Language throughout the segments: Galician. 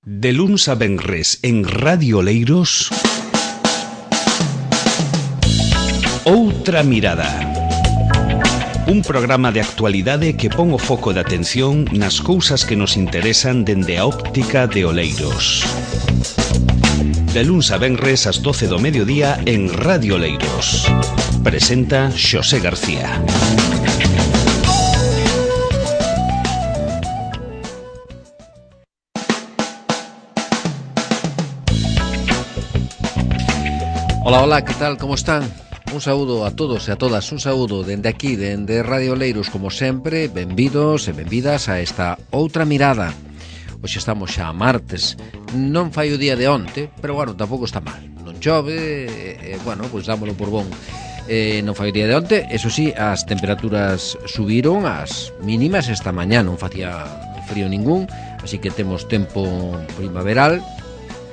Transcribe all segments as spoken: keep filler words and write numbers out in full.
De luns a venres en Radio Oleiros, Outra Mirada. Un programa de actualidade que pon o foco de atención nas cousas que nos interesan dende a óptica de Oleiros. De luns a venres ás doce do mediodía en Radio Oleiros. Presenta Xosé García. Hola, hola, que tal, como están? Un saúdo a todos e a todas, un saúdo dende aquí, dende Radio Oleiros, como sempre. Benvidos e benvidas a esta Outra Mirada. Hoxe estamos xa a martes, non fai o día de onte, pero bueno, tampouco está mal. Non chove, e, e bueno, pois dámolo por bon. Eh, non fai o día de onte, eso sí, as temperaturas subiron, as mínimas esta mañá non facía frío ningún, así que temos tempo primaveral.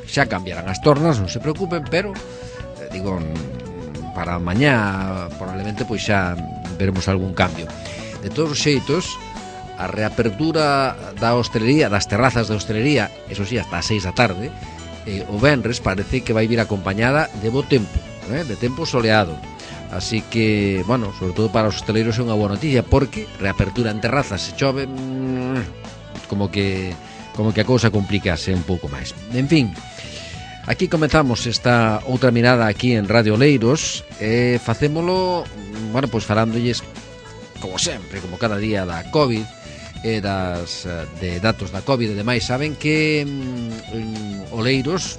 Xa cambiarán as tornas, non se preocupen, pero digo, para mañá probablemente pois xa veremos algún cambio. De todos os xeitos, a reapertura da hostelería, das terrazas de hostelería, eso sí, hasta as seis da tarde, eh, o venres parece que vai vir acompañada de bo tempo, eh, de tempo soleado. Así que, bueno, sobre todo para os hosteleiros é unha boa noticia, porque reapertura en terrazas, se chove, mmm, como que como que a cousa complicase un pouco máis. En fin, aquí comezamos esta outra mirada aquí en Radio Oleiros e facémolo, bueno, pois falándolles como sempre, como cada día da COVID e das de datos da COVID e demais. Saben que en Oleiros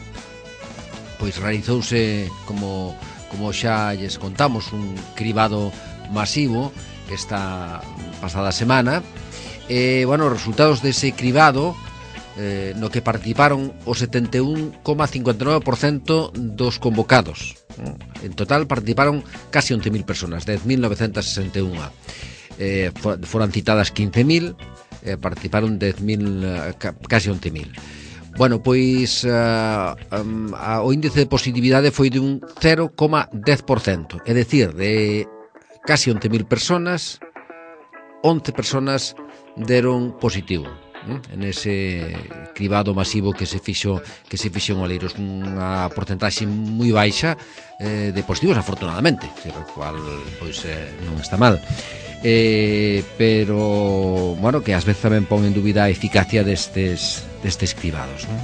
pois realizouse, como como xa lles contamos, un cribado masivo esta pasada semana e, bueno, os resultados dese cribado, Eh, no que participaron o setenta e un coma cincuenta e nove por cento dos convocados. En total participaron casi once mil personas, dez mil novecentas sesenta e un. Eh, for, foran citadas quince mil, eh, participaron dez mil, eh, casi once mil. Bueno, pois uh, um, a, o índice de positividade foi de un cero coma dez por cento, é dicir, de casi once mil personas, once personas deron positivo en ese cribado masivo que se fixo que se fixo en Oleiros, unha porcentaxe moi baixa eh, de positivos, afortunadamente, o cual pois eh, non está mal, eh, pero bueno, que ás veces tamén pon en dúbida a eficacia destes destes cribados, non?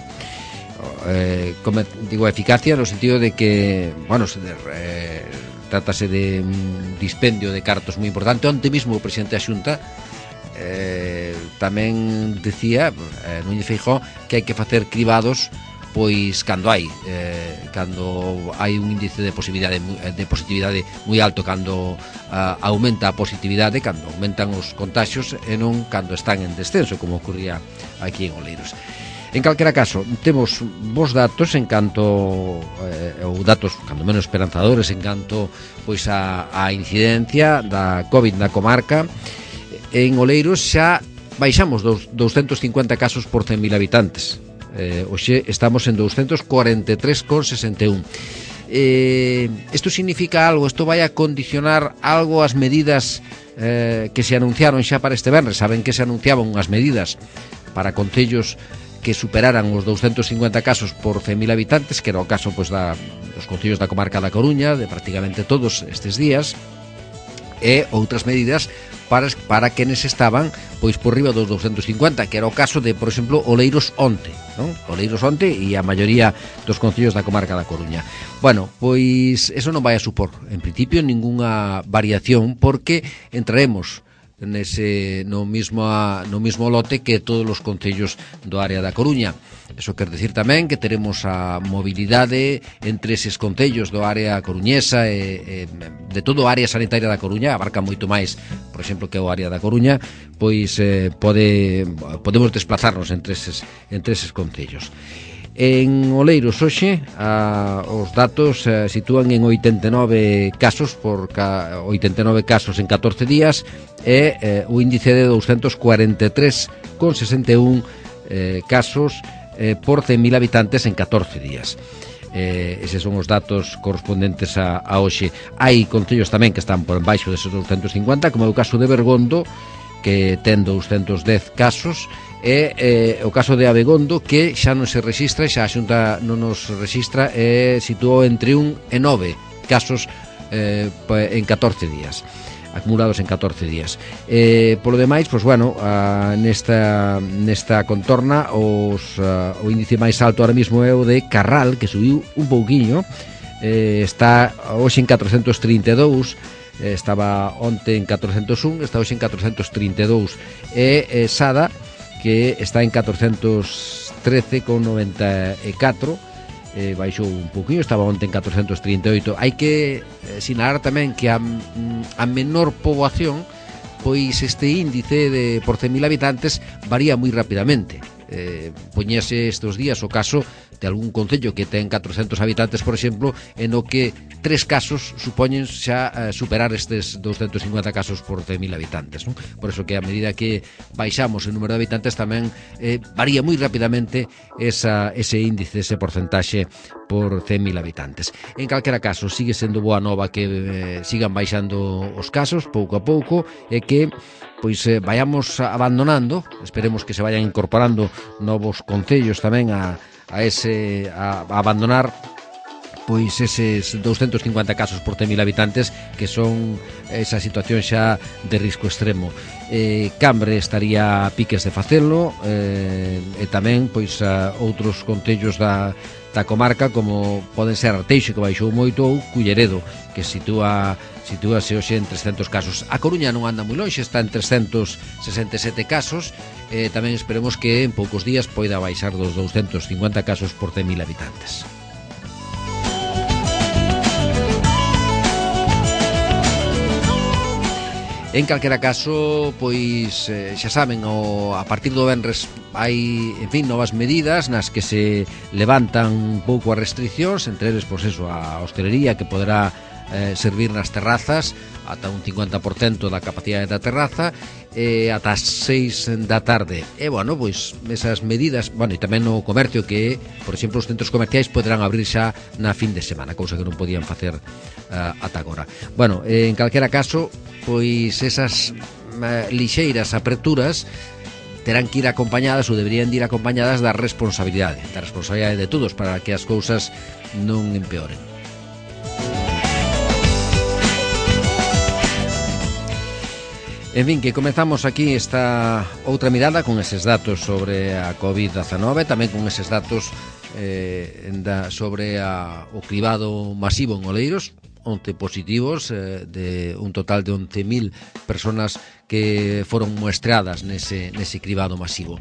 Eh, como digo, a eficacia no sentido de que, bueno, se de, eh, trátase de un dispendio de cartos moi importante. Onte mismo o presidente da Xunta Eh, tamén decía, eh, Núñez Feijóo, que hai que facer cribados pois cando hai eh, cando hai un índice de positividade de positividade moi alto, cando uh, aumenta a positividade, cando aumentan os contaxios, e non cando están en descenso, como ocurría aquí en Oleiros. En calquera caso, temos bons datos en canto eh, ou datos cando menos esperanzadores en canto pois a, a incidencia da COVID na comarca. En Oleiros xa baixamos dos doscientos cincuenta casos por cen mil habitantes. Eh, hoxe estamos en doscientos cuarenta e tres coma sesenta e un. Eh, isto significa algo, isto vai a condicionar algo as medidas eh, que se anunciaron xa para este venres. Saben que se anunciaban unhas medidas para concellos que superaran os doscientos cincuenta casos por cen mil habitantes, que era o caso pois, da, dos concellos da comarca da Coruña, de prácticamente todos estes días, e outras medidas para, para quenes estaban pois por riba dos doscientos cincuenta, que era o caso de, por exemplo, Oleiros onte, non? Oleiros onte e a maioría dos concellos da comarca da Coruña. Bueno, pois eso non vai a supor, en principio, ningunha variación, porque entraremos nese no mismo no mismo lote que todos os concellos do área da Coruña. Eso quer decir tamén que teremos a mobilidade entre eses concellos do área coruñesa e, e de todo o área sanitaria da Coruña, abarca moito máis, por exemplo, que o área da Coruña, pois eh, pode podemos desplazarnos entre eses entre eses concellos. En Oleiros hoxe a, os datos eh, sitúan en oitenta e nove casos por ca, oitenta e nove casos en catorce días e eh, o índice de doscientos cuarenta e tres coma sesenta e un eh, casos eh, por cen mil habitantes en catorce días. Eh, eses son os datos correspondentes a, a hoxe. Hai concellos tamén que están por embaixo deses doscientos cincuenta, como é o caso de Bergondo, que ten doscientos dez casos, é eh, o caso de Abegondo, que xa non se registra, xa a Xunta non nos registra, e situou entre un e nove casos eh, en catorce días, acumulados en catorce días. Eh, polo demais, pois bueno, a, nesta nesta contorna os a, o índice máis alto ahora mismo é o de Carral, que subiu un pouquiño, eh, está hoxe en catrocentos trinta e dous, eh, estaba onte en catrocentos un, está hoxe en catrocentos trinta e dous, e eh, Sada, que está en catrocentos trece con noventa e catro, eh, baixou un pouquinho, estaba onte en catrocentos trinta e oito. Hai que eh, sinalar tamén que a, a menor poboación, pois este índice de por cen mil habitantes varía moi rapidamente. Eh, poñese estes días o caso de algún concello que ten catrocentos habitantes, por exemplo, en o que tres casos supoñen xa eh, superar estes douscentos cincuenta casos por cen mil habitantes, non? Por eso que a medida que baixamos o número de habitantes tamén eh, varía moi rapidamente esa, ese índice, ese porcentaxe por cen mil habitantes. En calquera caso, sigue sendo boa nova que eh, sigan baixando os casos pouco a pouco, e que pois eh, vayamos abandonando, esperemos que se vayan incorporando novos concellos tamén a, a ese a, a abandonar pois eses douscentos cincuenta casos por cen mil habitantes, que son esa situación xa de risco extremo. Eh, Cambre estaría a piques de facelo, eh, e tamén pois a outros concellos da da comarca, como poden ser Arteixo, que baixou moito, ou Culleredo, que sitúa sitúase hoxe en trescentos casos. A Coruña non anda moi lonxe, está en trescentos sesenta e sete casos. Eh, tamén esperemos que en poucos días poida baixar dos douscentos cincuenta casos por cen mil habitantes. En calquera caso, pois eh, xa saben, o, a partir do venres hai, en fin, novas medidas nas que se levantan un pouco as restriccións, entre eles, pois eso, a hostelería, que poderá eh, servir nas terrazas ata un cincuenta por cento da capacidade da terraza, e ata as seis da tarde. E, bueno, pois, esas medidas, bueno, e tamén no comercio, que, por exemplo, os centros comerciais poderán abrir xa na fin de semana, cousa que non podían facer uh, ata agora. Bueno, eh, en calquera caso, pois esas uh, lixeiras aperturas terán que ir acompañadas, ou deberían de ir acompañadas da responsabilidade, da responsabilidade de todos, para que as cousas non empeoren. En fin, que comezamos aquí esta outra mirada con eses datos sobre a covid dezanove, tamén con eses datos eh, da, sobre a, o cribado masivo en Oleiros, once positivos, eh, de un total de once mil personas que foron muestreadas nese, nese cribado masivo.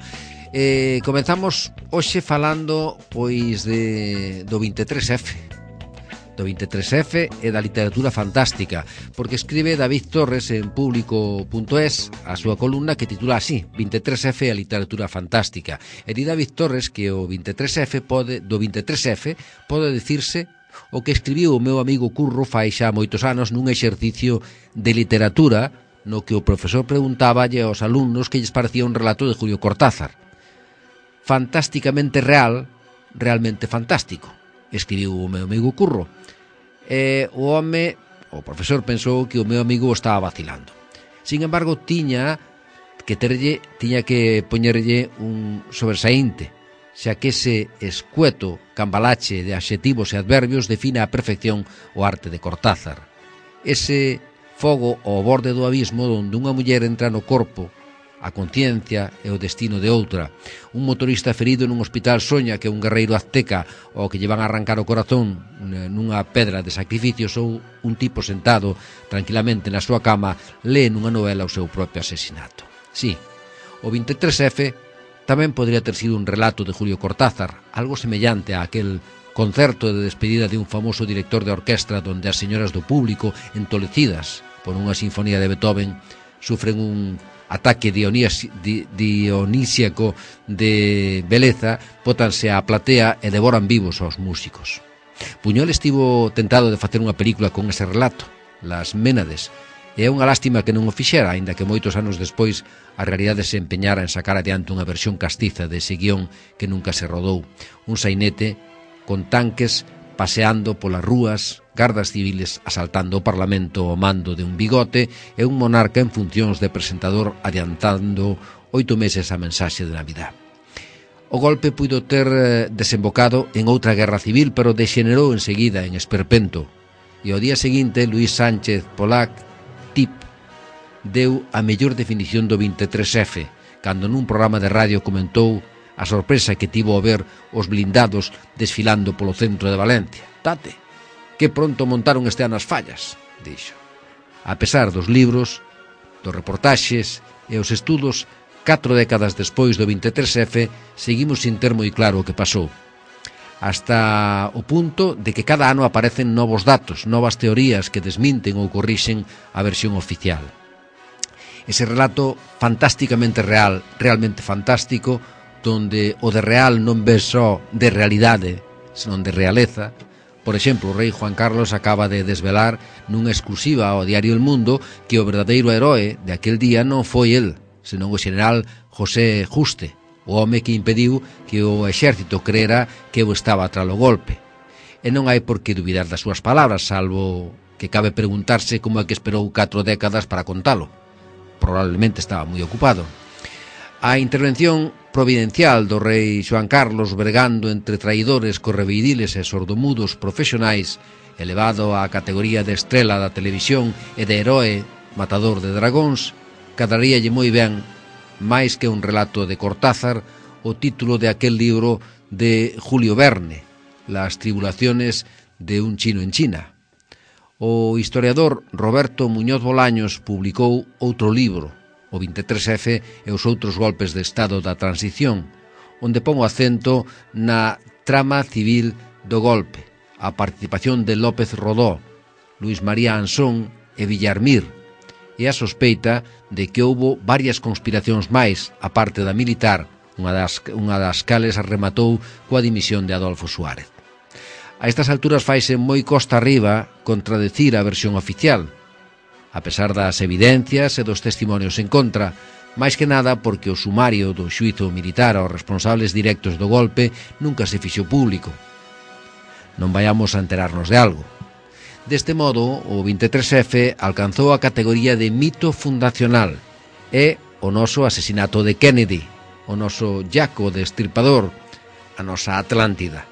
Eh, comenzamos hoxe falando pois de, do veintitrés efe, do veintitrés efe e da literatura fantástica, porque escribe David Torres en público punto es a súa columna que titula así: veintitrés efe e a literatura fantástica. E di David Torres que o veintitrés efe pode, do veintitrés efe pode dicirse o que escribiu o meu amigo Curro fai xa moitos anos nun exercicio de literatura no que o profesor preguntáballe aos alumnos que lles parecía un relato de Julio Cortázar. Fantásticamente real, realmente fantástico, escribiu o meu amigo Curro. E o home, o profesor, pensou que o meu amigo o estaba vacilando. Sin embargo, tiña que terlle, tiña que poñerlle un sobresaínte, xa que ese escueto cambalache de adxetivos e adverbios define a perfección o arte de Cortázar. Ese fogo ao borde do abismo onde unha muller entra no corpo, a conciencia e o destino de outra. Un motorista ferido nun hospital soña que un guerreiro azteca ao que lle van a arrancar o corazón nunha pedra de sacrificios, ou un tipo sentado tranquilamente na súa cama lee nunha novela o seu propio asesinato. Sí, o veintitrés efe tamén podría ter sido un relato de Julio Cortázar, algo semellante a aquel concerto de despedida de un famoso director de orquestra donde as señoras do público, entolecidas por unha sinfonía de Beethoven, sufren un ataque dionisíaco de beleza, bótanse á platea e devoran vivos aos músicos. Buñuel estivo tentado de facer unha película con ese relato, Las Ménades, e é unha lástima que non o fixera, aínda que moitos anos despois a realidade se empeñara en sacar adiante unha versión castiza de ese guión que nunca se rodou. Un sainete con tanques paseando polas rúas gardas civiles asaltando o Parlamento ao mando de un bigote e un monarca en funcións de presentador adiantando oito meses a mensaxe de Navidad. O golpe puido ter desembocado en outra guerra civil, pero dexenerou enseguida en esperpento, e ao día seguinte Luis Sánchez Polac Tip deu a mellor definición do veintitrés efe, cando nun programa de radio comentou a sorpresa que tivo ao ver os blindados desfilando polo centro de Valencia. Tate, que pronto montaron este ano as fallas, dixo. A pesar dos libros, dos reportaxes e os estudos, catro décadas despois do veintitrés efe, seguimos sin ter moi claro o que pasou. Hasta o punto de que cada ano aparecen novos datos, novas teorías que desminten ou corrixen a versión oficial. Ese relato fantásticamente real, realmente fantástico, donde o de real non ve só de realidade, senón de realeza. Por exemplo, o rei Juan Carlos acaba de desvelar nunha exclusiva ao diario El Mundo que o verdadeiro heroe de aquel día non foi el, senón o xeneral José Juste, o home que impediu que o exército creera que eu estaba tras o golpe. E non hai por que dubidar das súas palabras, salvo que cabe preguntarse como é que esperou catro décadas para contalo. Probablemente estaba moi ocupado. A intervención providencial do rei Xoán Carlos bregando entre traidores, correveidiles e sordomudos profesionais, elevado á categoría de estrela da televisión e de heroe matador de dragóns, cadaríalle moi ben, máis que un relato de Cortázar, o título de aquel libro de Julio Verne, Las tribulaciones de un chino en China. O historiador Roberto Muñoz Bolaños publicou outro libro, o veintitrés efe e os outros golpes de estado da transición, onde pon o acento na trama civil do golpe, a participación de López Rodó, Luis María Ansón e Villarmir, e a sospeita de que houbo varias conspiracións máis, a parte da militar, unha das, unha das cales rematou coa dimisión de Adolfo Suárez. A estas alturas faise moi costa arriba contradecir a versión oficial, a pesar das evidencias e dos testimonios en contra, máis que nada porque o sumario do xuízo militar aos responsables directos do golpe nunca se fixo público. Non vayamos a enterarnos de algo. Deste modo, o veintitrés efe alcanzou a categoría de mito fundacional e o noso asesinato de Kennedy, o noso Jaco Destripador, a nosa Atlántida.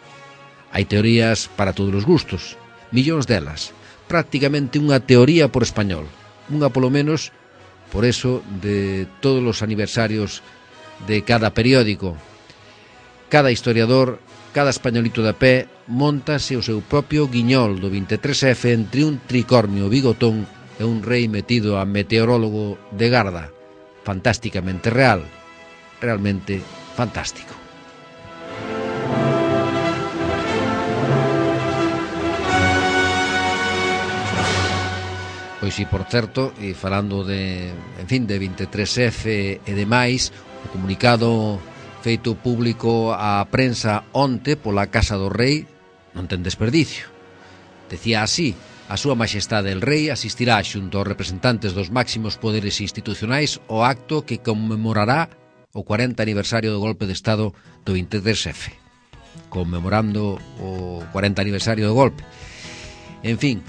Hai teorías para todos os gustos, millóns delas, prácticamente unha teoría por español, unha polo menos, por eso, de todos os aniversarios de cada periódico. Cada historiador, cada españolito de pé, montase o seu propio guiñol do veintitrés efe entre un tricornio bigotón e un rei metido a meteorólogo de garda. Fantásticamente real, realmente fantástico. Pois si, por certo, e falando de, en fin, de veintitrés efe e demais, o comunicado feito público á prensa onte pola Casa do Rei non ten desperdicio. Decía así: a súa majestade el rei asistirá xunto aos representantes dos máximos poderes institucionais ao acto que conmemorará o cuarenta aniversario do golpe de estado do veintitrés efe, conmemorando o cuarenta aniversario do golpe. En fin,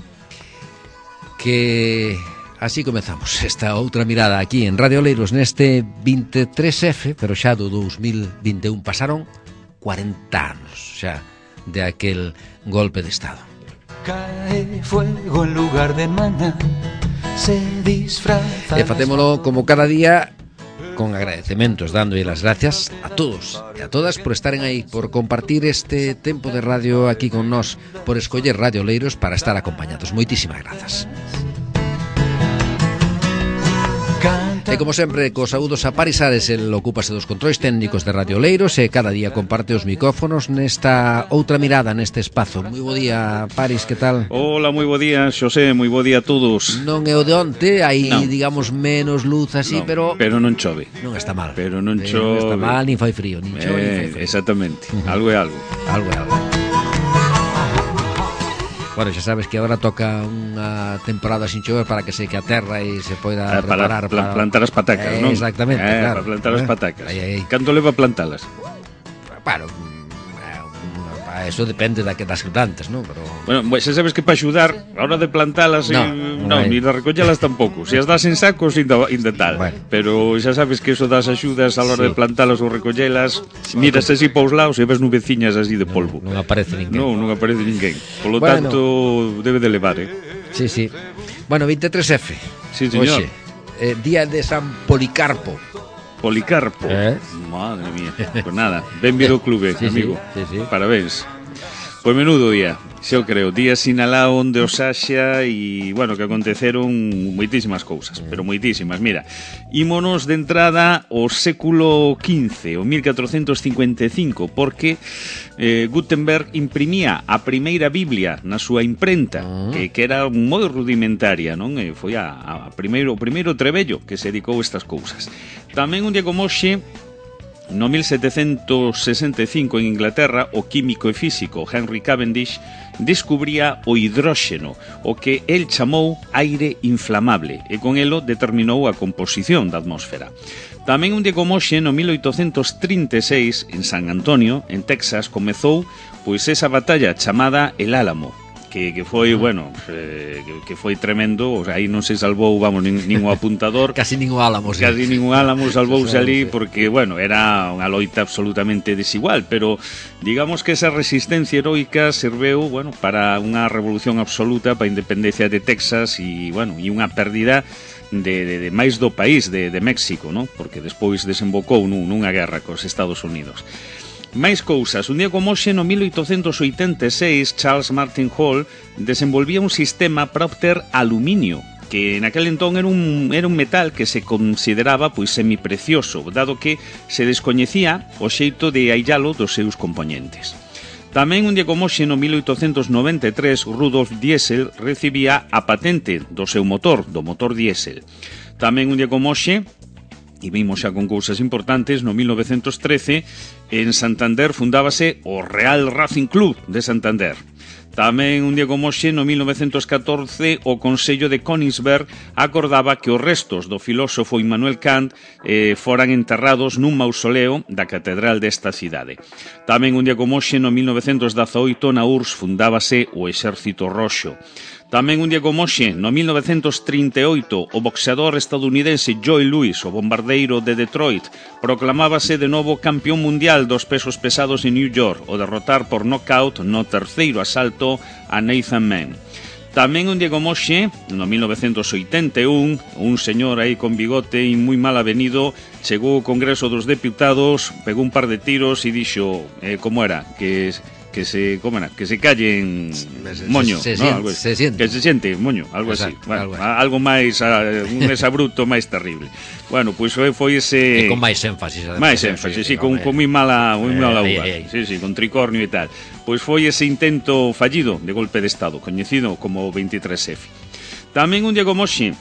que así comezamos esta outra mirada aquí en Radio Oleiros neste veintitrés efe, pero xa do dos mil vinte e un pasaron cuarenta anos xa de aquel golpe de estado. Cae fuego en lugar de maná, se disfraza. E facémolo como cada día con agradecementos, dándolle las gracias a todos e a todas por estaren aí, por compartir este tempo de radio aquí con nós, por escoller Radio Oleiros para estar acompañados. Moitísimas grazas. E como sempre, cos saúdos a Paris Ares, el ocúpase dos controis técnicos de Radio Oleiros e cada día comparte os micrófonos nesta outra mirada, neste espazo. Moi bo día, Paris, que tal? Hola, moi bo día, Xosé, moi bo día a todos. Non é o de onte, hai, no. digamos, menos luz así, no, pero... Pero non chove. Non está mal. Pero non pero chove. Non está mal, nin fai frío, nin chove, eh, nin fai frío. Exactamente, Uh-huh. algo é algo. Algo é algo. Bueno, xa sabes que agora toca unha temporada sin chover para que seque a terra e se poida eh, preparar para, para plantar as patacas, eh, non? Exactamente, eh, claro. Para plantar as patacas. Aí, aí. Canto leva plantalas? Bueno, Eso depende da que das plantas, ¿no? Pero... Bueno, pues xa sabes que para axudar, a hora de plantalas, No, eh, non non, hai. ni de recollelas tampouco. Se as das en sacos, inda, inda tal. Bueno. Pero xa sabes que eso das axudas a la hora Sí. de plantalas ou recollelas, miras así para os lados e ves nubeciñas así de polvo. Non aparece ninguén. Non, non aparece ninguén. Por lo Bueno. tanto, debe de levar, eh? Sí, sí. Bueno, veintitrés F. Sí, señor. Oxe, eh, día de San Policarpo. Policarpo. Eh? Madre mía. Pues nada, benvido ao clube, Sí, sí, amigo. sí, sí. Parabéns. Pois menudo día, xa o creo. Día sinalado onde os haxa e, bueno, que aconteceron moitísimas cousas, pero moitísimas. Mira, ímonos de entrada ao século quince, o mil catrocentos cincuenta e cinco, porque eh, Gutenberg imprimía a primeira Biblia na súa imprenta, que, que era moi rudimentaria, non? E foi a, a primeiro, o primeiro trebello que se dedicou a estas cousas. Tamén un día como hoxe, no mil setecentos sesenta e cinco en Inglaterra, o químico e físico Henry Cavendish descubría o hidróxeno, o que el chamou aire inflamable, e con elo determinou a composición da atmósfera. Tamén un día como hoxe, no mil oitocentos trinta e seis, en San Antonio, en Texas, comezou pois esa batalla chamada El Álamo, que, que foi, bueno, eh, que, que foi tremendo. O sea, aí non se salvou, vamos, nin, nin o apuntador. Casi ningún álamo, sí. Casi ningún álamo salvouse Sí, ali sí. porque, bueno, era unha loita absolutamente desigual, pero digamos que esa resistencia heroica serveu, bueno, para unha revolución absoluta, para a independencia de Texas e, bueno, e unha pérdida de, de, de máis do país, de, de México, ¿no? Porque despois desembocou nun, nunha guerra cos Estados Unidos. Máis cousas. Un día como hoxe, no mil oitocentos oitenta e seis, Charles Martin Hall desenvolvía un sistema para obter aluminio, que naquel entón era un, era un metal que se consideraba pois semiprecioso, dado que se descoñecía o xeito de aillalo dos seus componentes. Tamén un día como hoxe, no mil oitocentos noventa e tres, Rudolf Diesel recibía a patente do seu motor, do motor diésel. Tamén un día como hoxe, e vimos xa con cousas importantes, no mil novecentos trece, en Santander fundábase o Real Racing Club de Santander. Tamén un día como hoxe, no mil novecentos catorce, o Consello de Königsberg acordaba que os restos do filósofo Immanuel Kant eh, foran enterrados nun mausoleo da catedral desta cidade. Tamén un día como hoxe, no mil novecentos dezaoito, na U R S S fundábase o Exército Roxo. Tamén un día como hoxe, no mil novecentos trinta e oito, o boxeador estadounidense Joe Louis, o bombardeiro de Detroit, proclamábase de novo campeón mundial dos pesos pesados en New York, o derrotar por knockout no terceiro asalto a Nathan Mann. Tamén un día como hoxe, no mil novecentos oitenta e un, un señor aí con bigote e moi mal avenido chegou ao Congreso dos Deputados, pegou un par de tiros e dixo, eh, como era, que... que se, como era, que se callen moño, se, se, ¿no? se, Algo así. se siente. Que se siente moño, algo Exacto, así. Bueno, algo así. algo máis, uh, un exabruto máis terrible. Bueno, pois pues foi ese... E con máis énfasis. además, máis énfasis, sí, con, con moi mala, moi Eh, mala aí, uva. aí. Sí, sí, con tricornio e tal. Pois foi ese intento fallido de golpe de Estado, coñecido como veintitrés F. Tamén un día como hoxe,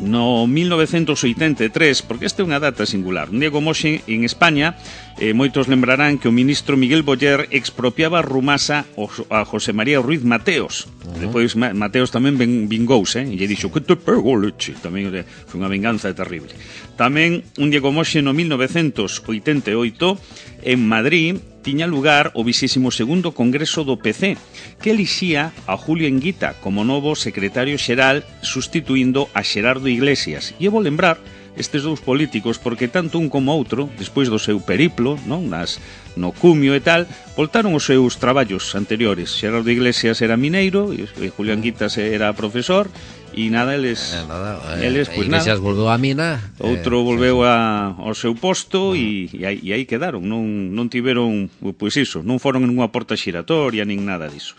no mil novecentos oitenta e tres, porque esta é unha data singular. Un día como hoxe, en España, eh, moitos lembrarán que o ministro Miguel Boyer expropiaba a Rumasa a José María Ruiz Mateos. Uh-huh. Depois Mateos tamén vingouse, eh, e lle dixo que te pego leche. Tamén eh, foi unha venganza terrible. Tamén, un día como hoxe, no mil novecentos oitenta e oito, en Madrid, tiña lugar o vixésimo segundo Congreso do P C, que elixía a Julio Enguita como novo secretario xeral, sustituindo a Xerardo Iglesias. E eu vou lembrar estes dous políticos porque tanto un como outro, despois do seu periplo, non, nas no cumio e tal, voltaron os seus traballos anteriores. Xerardo Iglesias era mineiro e Julio Enguita era profesor. E nada, eles, eh, nada eh, eles pois pues Iglesias nada, volveu á mina, outro eh, volveu sí, sí. a, ao seu posto e, e, aí, e aí quedaron, non, non tiveron, pois iso, non foron en unha porta xiratoria nin nada diso.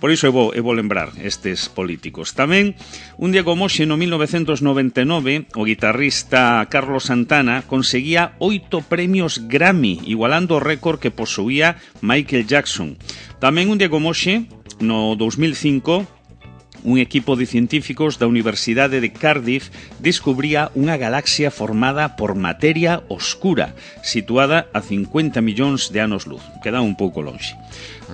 Por iso eu vou, eu vou lembrar estes políticos. Tamén, un día como hoxe, no mil novecentos noventa e nove, o guitarrista Carlos Santana conseguía oito premios Grammy, igualando o récord que posuía Michael Jackson. Tamén un día como hoxe, no dous mil cinco, un equipo de científicos da Universidade de Cardiff descubría unha galaxia formada por materia oscura, situada a cincuenta millóns de anos luz. Queda un pouco longe.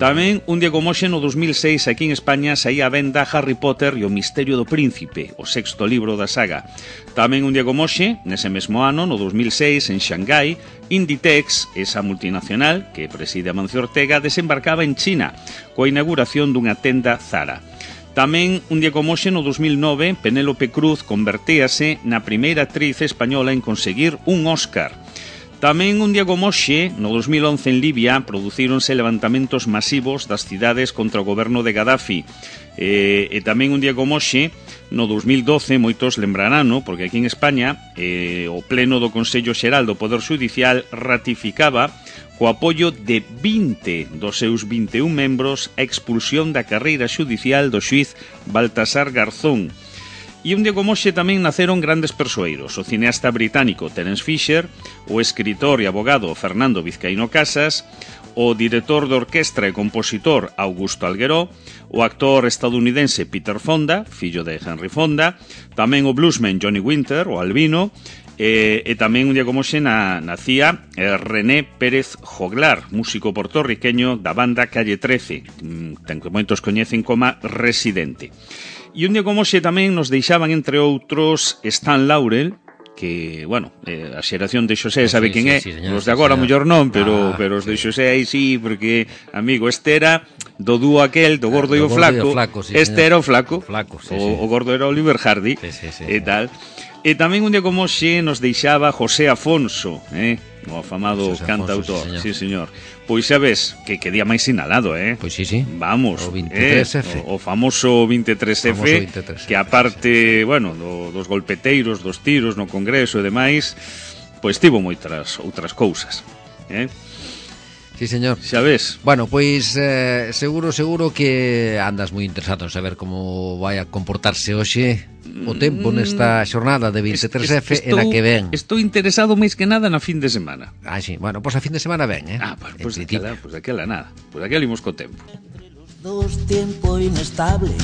Tamén, un día como hoxe, no dos mil seis, aquí en España, saía a venda Harry Potter e o Misterio do Príncipe, o sexto libro da saga. Tamén, un día como hoxe, nese mesmo ano, no dos mil seis, en Xangai, Inditex, esa multinacional que preside Amancio Ortega, desembarcaba en China, coa inauguración dunha tenda Zara. Tamén, un día como hoxe, no dos mil nove, Penélope Cruz convertíase na primeira actriz española en conseguir un Óscar. Tamén un día como hoxe, no dos mil once en Libia, producíronse levantamentos masivos das cidades contra o goberno de Gaddafi. E, e tamén un día como hoxe, no dos mil doce, moitos lembrarano, porque aquí en España eh, o Pleno do Consello Xeral do Poder Xudicial ratificaba co apoio de vinte dos seus vinte e un membros a expulsión da carreira xudicial do xuiz Baltasar Garzón. E un día como hoxe tamén naceron grandes persoeiros, o cineasta británico Terence Fisher, o escritor e abogado Fernando Vizcaíno Casas, o director de orquestra e compositor Augusto Algueró, o actor estadounidense Peter Fonda, fillo de Henry Fonda, tamén o bluesman Johnny Winter, o Albino, e, e tamén un día como hoxe na, nacía eh, René Pérez Joglar, músico portorriqueño da banda Calle trece, ten que moitos coñecen como Residente. E un día como hoxe tamén nos deixaban, entre outros, Stan Laurel, que, bueno, eh, a xeración de Xosé sabe sí, quen sí, é, sí, señor, os de agora sí, mellor non, pero, ah, pero os de sí. Xosé aí sí, porque, amigo, este era do dúo aquel, do gordo e o gordo flaco, e o flaco sí, este señor. era o flaco, flaco sí, o, sí. o gordo era Oliver Hardy, sí, sí, sí, e tal. E tamén un día como hoxe nos deixaba José Afonso, eh? o afamado José cantautor, Afonso, sí, señor. Pois sabes, que que día máis sinalado, eh? Pois sí, sí. Vamos, o veintitrés F. Eh? O, o famoso veintitrés F, famoso veintitrés F, que aparte, sí, bueno, do, dos golpeteiros, dos tiros no Congreso e demais, pois tivo moitas outras cousas, eh? Sí, señor. Xa ves. Bueno, pois eh, seguro, seguro que andas moi interesado en saber como vai a comportarse hoxe o tempo nesta xornada de veintitrés F e na que ven. Estou interesado máis que nada na fin de semana. Ah, sí, bueno, pois a fin de semana ven, eh? Ah, pois pues, pues aquela, pues aquela nada. Pois pues aquela imos co tempo. Dos tiempo inestable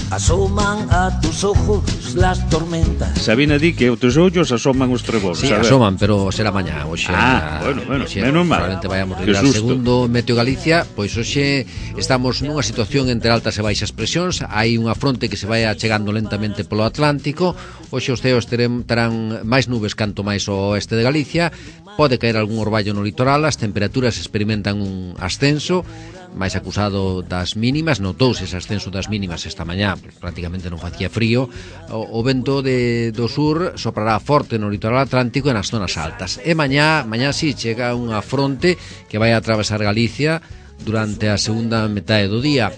asoman a tus ojos las tormentas. Sabina di que os teus ollos asoman os trebóns. Sí, asoman, pero será mañá. Hoxe, ah, a, bueno, bueno, hoxe, menos mal. Probablemente vayamos a ir segundo Meteo Galicia. Pois hoxe estamos nunha situación entre altas e baixas presións. Hai unha fronte que se vai achegando lentamente polo Atlántico. Hoxe os ceos terán, terán máis nubes canto máis ao oeste de Galicia. Pode caer algún orballo no litoral. As temperaturas experimentan un ascenso máis acusado das mínimas. Notouse ese ascenso das mínimas esta mañá, prácticamente non facía frío. O, o vento de, do sur soprará forte no litoral atlántico e nas zonas altas. E mañá, mañá si, chega unha fronte que vai a atravesar Galicia durante a segunda metade do día.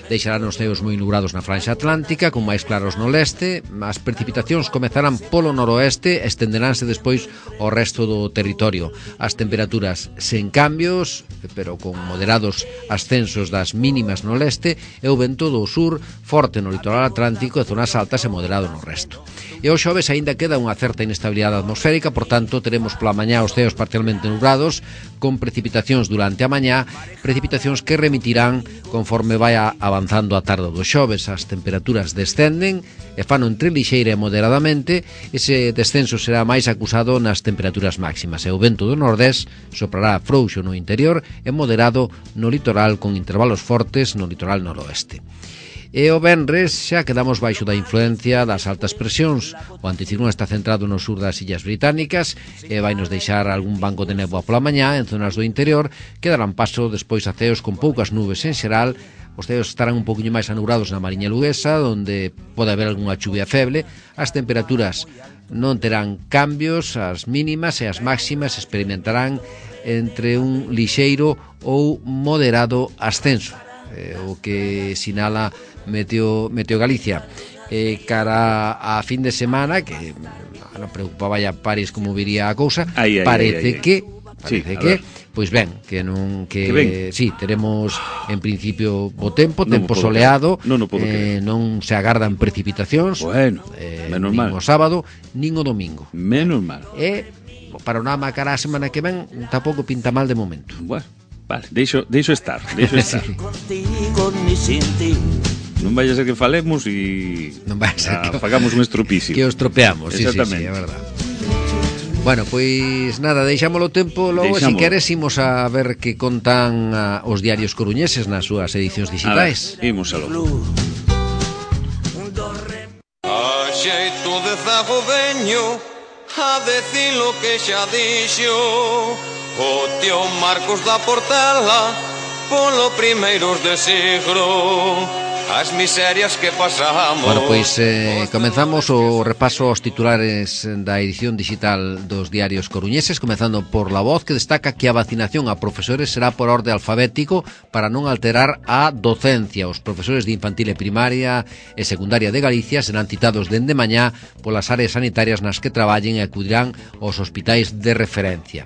Deixarán os ceos moi nubrados na franxa atlántica, con máis claros no leste. As precipitacións comezarán polo noroeste e estenderánse despois ao resto do territorio. As temperaturas sen cambios, pero con moderados ascensos das mínimas no leste, e o vento do sur forte no litoral atlántico e zonas altas e moderado no resto. E o xoves aínda queda unha certa inestabilidade atmosférica, por tanto, teremos pola mañá os ceos parcialmente nubrados, con precipitacións durante a mañá, precipitacións que remitirán conforme vai avanzando a tarde do xoves. As temperaturas descenden e fano entre lixeira e moderadamente. Ese descenso será máis acusado nas temperaturas máximas, e o vento do nordés soprará frouxo no interior e moderado no litoral, con intervalos fortes no litoral noroeste. E o venres xa quedamos baixo da influencia das altas presións. O anticiclón está centrado no sur das Illas Británicas e vai nos deixar algún banco de néboa pola mañá en zonas do interior, que darán paso despois a ceos con poucas nubes en xeral. Os ceos estarán un poquinho máis anubrados na Mariña Luguesa, onde pode haber algunha chuvia feble. As temperaturas non terán cambios, as mínimas e as máximas experimentarán entre un lixeiro ou moderado ascenso, eh, o que sinala Meteo, Meteo Galicia. Eh, cara a fin de semana, que non preocupaba ya París como viría a cousa, ay, ay, parece ay, ay, ay. que parece sí, que, pois ben, que non que, que sí, teremos en principio bo tempo, tempo non soleado, non, non, eh, non se agardan precipitacións, bueno, eh, menos nin mal. o sábado, nin o domingo. Menos mal. E o panorama cara a semana que ven tampouco pinta mal de momento. Bueno, vale, deixo, deixo estar, deixo estar. Contigo ni sin ti. Non vai a ser que falemos e non vai a ser ah, que fagamos un estropicio. Que os tropeamos, sí, sí, sí, Exactamente. é verdad. Bueno, pois nada, deixámolo tempo, logo se si queres imos a ver que contan a, os diarios coruñeses nas súas edicións digitais. A ver, imos a lo. A xeito de zago veño a decir lo que xa dixo o tío Marcos da Portela polo primeiros de siglo. As miserias que pasamos. Bueno, pois eh, comenzamos o repaso aos titulares da edición digital dos diarios coruñeses, comenzando por La Voz, que destaca que a vacinación a profesores será por orde alfabético para non alterar a docencia. Os profesores de infantil e primaria e secundaria de Galicia serán citados dende mañá polas áreas sanitarias nas que traballen e acudirán aos hospitais de referencia.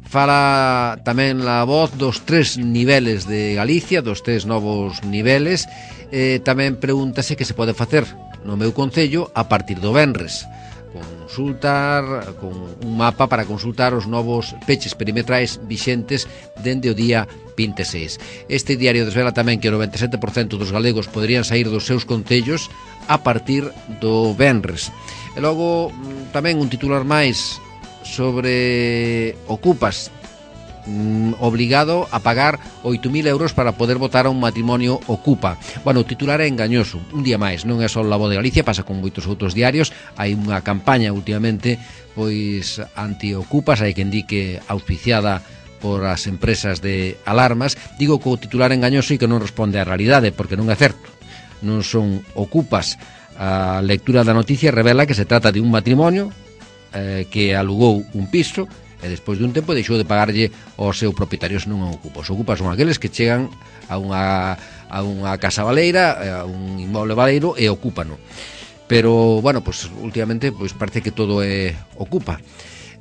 Fala tamén La Voz dos tres niveles de Galicia, dos tres novos niveles. Eh, tamén pregúntase que se pode facer no meu concello a partir do venres. Consultar con un mapa para consultar os novos peches perimetrais vixentes dende o día vinte e seis. Este diario desvela tamén que o noventa e sete por cento dos galegos poderían sair dos seus concellos a partir do venres. E logo tamén un titular máis sobre Ocupas, mm, obligado a pagar oito mil euros para poder votar a un matrimonio Ocupa. Bueno, o titular é engañoso, un día máis, non é só La Voz de Galicia, pasa con moitos outros diarios. Hai unha campaña últimamente pois anti-Ocupas, hai quen di que auspiciada por as empresas de alarmas. Digo que o titular é engañoso e que non responde á realidade, porque non é certo, non son Ocupas. A lectura da noticia revela que se trata de un matrimonio eh, que alugou un piso e despois de un tempo deixou de pagarlle ao seu propietario, se non é Ocupa. Os Ocupas son aqueles que chegan a unha, a unha casa baleira, a un inmoble baleiro e ocúpano. Pero, bueno, pues últimamente pues parece que todo é Ocupa,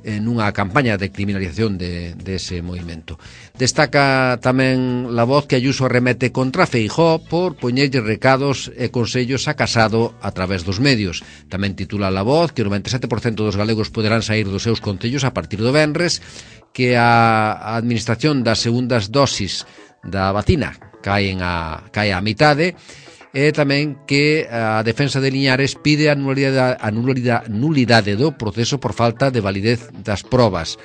en unha campaña de criminalización de, de ese movimento. Destaca tamén La Voz que Ayuso remete contra Feijóo por poñerlle recados e consellos a Casado a través dos medios. Tamén titula La Voz que o noventa e sete por cento dos galegos poderán sair dos seus concellos a partir do venres, que a administración das segundas dosis da vacina caen a, cae a mitade, e tamén que a defensa de Liñares pide a nulidade, a nulidade, nulidade do proceso por falta de validez das probas,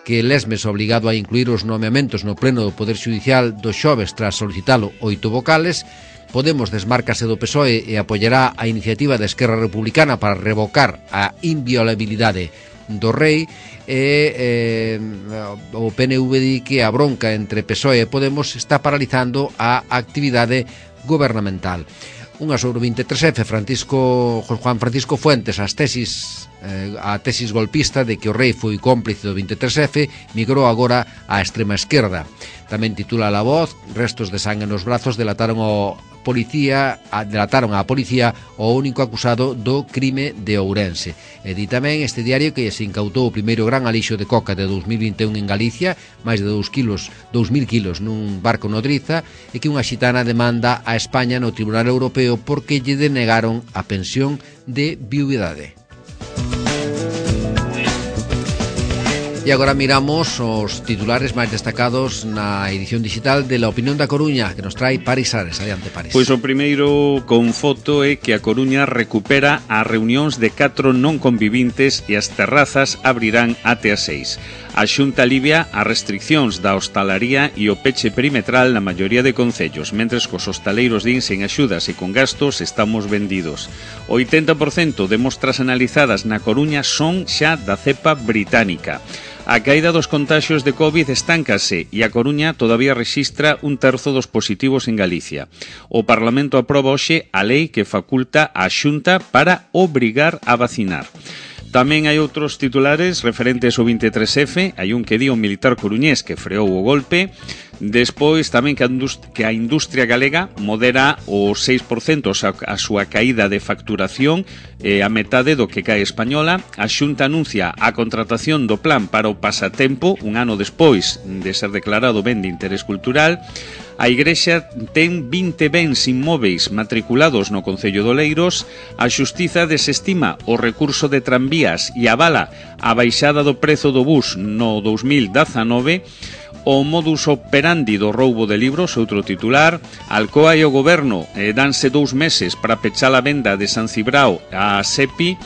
que Lesmes obligado a incluir os nomeamentos no pleno do Poder Xudicial do xoves tras solicitalo oito vocales. Podemos desmárcase do P S O E e apoiará a iniciativa da Esquerra Republicana para revocar a inviolabilidade do rei, e eh, o P N V di que a bronca entre P S O E e Podemos está paralizando a actividade gubernamental. Unha sobre o vinte e tres efe, Francisco Juan Francisco Fuentes, as tesis eh, a tesis golpista de que o rei foi cómplice do vinte e tres efe migrou agora á extrema esquerda. Tamén titula La Voz, restos de sangue nos brazos delataron o policía, delataron á policía o único acusado do crime de Ourense. E di tamén este diario que se incautou o primeiro gran alixo de coca de dous mil vinte e un en Galicia, máis de dous kilos, dous mil kilos nun barco nodriza, e que unha xitana demanda a España no Tribunal Europeo porque lle denegaron a pensión de viudidade. E agora miramos os titulares máis destacados na edición digital de La Opinión da Coruña, que nos trae Paris Ares. Adiante, Paris. Pois o primeiro con foto é que a Coruña recupera as reunións de catro non convivintes e as terrazas abrirán até as seis. A Xunta alivia as restriccións da hostalaría e o peche perimetral na maioría de concellos, mentres que os hostaleiros din sen axudas e con gastos estamos vendidos. O oitenta por cento de mostras analizadas na Coruña son xa da cepa británica. A caída dos contaxios de COVID estáncase e a Coruña todavía rexistra un terzo dos positivos en Galicia. O Parlamento aproba hoxe a lei que faculta a Xunta para obrigar a vacinar. Tamén hai outros titulares referentes ao vinte e tres efe, hai un que di o militar coruñés que freou o golpe. Despois tamén que a, que a industria galega modera o seis por cento a súa caída de facturación, eh, a metade do que cae española. A Xunta anuncia a contratación do plan para o pasatempo un ano despois de ser declarado ben de interés cultural. A Igrexa ten vinte bens inmóveis matriculados no Concello de Oleiros. A Xustiza desestima o recurso de tranvías e avala a baixada do prezo do bus no dous mil dezanove. o modus operandi do roubo de libros, outro titular. Alcoa e o goberno eh, danse dous meses para pechar a venda de San Cibrao a SEPI.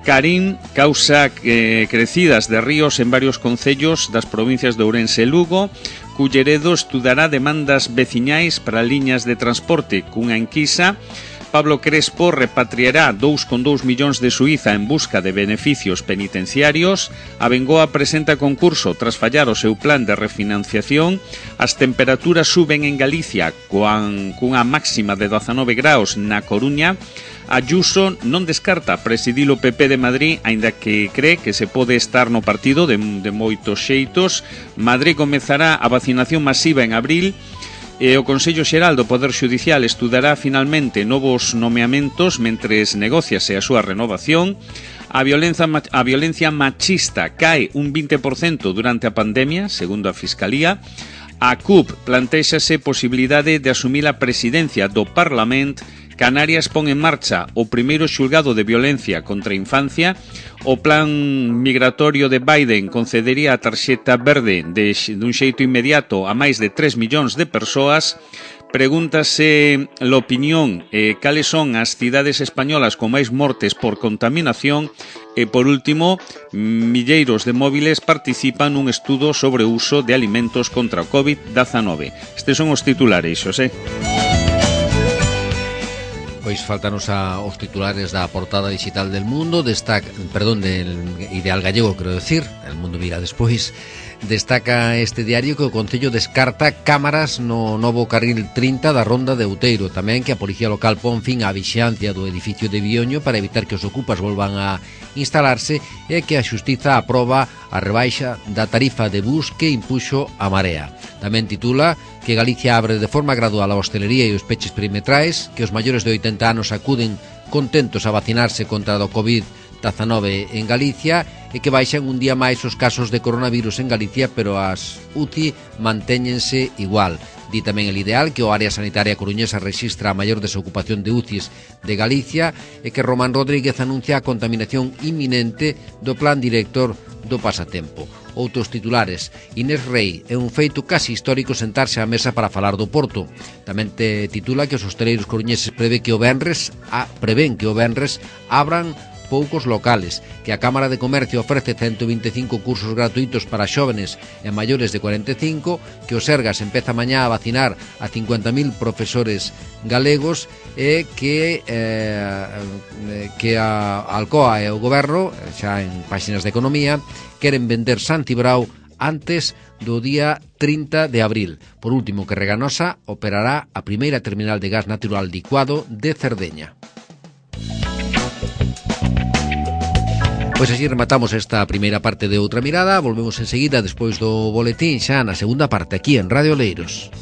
Carín causa eh, crecidas de ríos en varios concellos das provincias de Ourense e Lugo. Culleredo estudará demandas veciñais para liñas de transporte cunha enquisa. Pablo Crespo repatriará dous coma dous millóns de Suiza en busca de beneficios penitenciarios. A Bengoa presenta concurso tras fallar o seu plan de refinanciación. As temperaturas suben en Galicia coan, cunha máxima de dezanove graus na Coruña. Ayuso non descarta presidir o P P de Madrid, aínda que cree que se pode estar no partido de, de moitos xeitos. Madrid comezará a vacinación masiva en abril. E o Consello Xeral do Poder Xudicial estudará finalmente novos nomeamentos mentres negociase a súa renovación. A violencia, a violencia machista cae un vinte por cento durante a pandemia, segundo a Fiscalía. A C U P plantéxase posibilidade de asumir a presidencia do Parlamento. Canarias pon en marcha o primeiro xulgado de violencia contra a infancia. O plan migratorio de Biden concedería a tarxeta verde de, dun xeito inmediato a máis de tres millóns de persoas. Pregúntase l'opinión eh, cales son as cidades españolas con máis mortes por contaminación. E, por último, milleiros de móviles participan nun estudo sobre o uso de alimentos contra o covid diecinueve. Estes son os titulares, Xosé. Pois faltanos a os titulares da portada digital del Mundo, destaca, perdón, del Ideal Gallego, quero decir, El Mundo mira despois. Destaca este diario que o Concello descarta cámaras no novo carril trinta da Ronda de Outeiro. Tamén que a Policía Local pon fin á vixiancia do edificio de Bioño para evitar que os ocupas volvan a instalarse, e que a Xustiza aproba a rebaixa da tarifa de bus que impuxo a Marea. Tamén titula que Galicia abre de forma gradual a hostelería e os peches perimetrais, que os maiores de oitenta anos acuden contentos a vacinarse contra o covid diecinueve en Galicia, e que baixan un día máis os casos de coronavirus en Galicia, pero as U C I mantéñense igual. Di tamén El Ideal que o área sanitaria coruñesa rexistra a maior desocupación de U C Is de Galicia, e que Román Rodríguez anuncia a contaminación inminente do plan director do pasatempo. Outros titulares: Inés Rei, é un feito casi histórico sentarse á mesa para falar do Porto. Tamén te titula que os hosteleiros coruñeses prevé que o venres a, prevén que o venres abran poucos locales, que a Cámara de Comercio ofrece ciento veinticinco cursos gratuitos para xóvenes e maiores de cuarenta e cinco, que o Sergas empeza mañá a vacinar a cincuenta mil profesores galegos, e que eh, que a Alcoa e o Goberno, xa en páxinas de Economía, queren vender San Cibrao antes do día trinta de abril. Por último, que Reganosa operará a primeira terminal de gas natural licuado de Cerdeña. Pois así rematamos esta primeira parte de Outra Mirada. Volvemos enseguida despois do boletín xa na segunda parte aquí en Radio Oleiros.